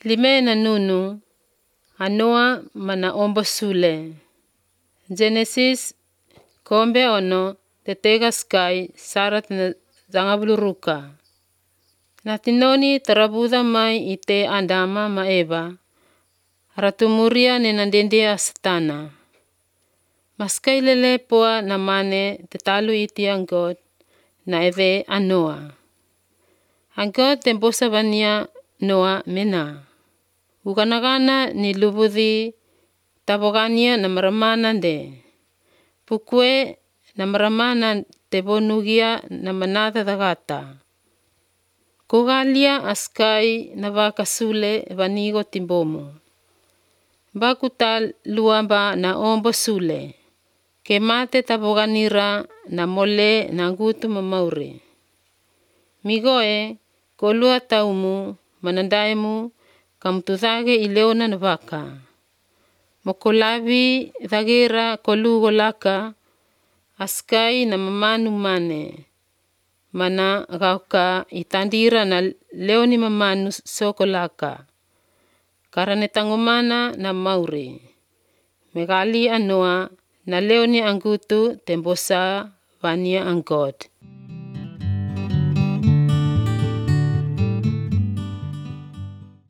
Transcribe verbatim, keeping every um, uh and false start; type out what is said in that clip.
Lime na nunu, anoa mana ombo sule. Genesis kombe ono tetega sky sarat na zangabuluruka. Natinoni tarabuda mai ite andama ma Eva. Ratumuria nenandendia satana. Maskai lele poa na mane tetalu iti ang God na eve anoa. Ang God tembosa vania Noa mena. Uganagana ni lubudhi tabogania na maramana de. Pukwe na maramana tebonugia na manata dagata. Kugalia askai na vakasule vanigo timbomo. Bakuta luamba na ombo sule. Kemate taboganira na mole na ngutu mamaure. Migoe kolua taumu manandaimu kamtuzage ileona na vaka. Mokolavi dhagira kolugo laka askai na mamanu mane. Mana gauka itandira na leoni mamanu soko laka. Karane tangomana na maure. Megali anoa na leoni angutu tembosa vania ang God.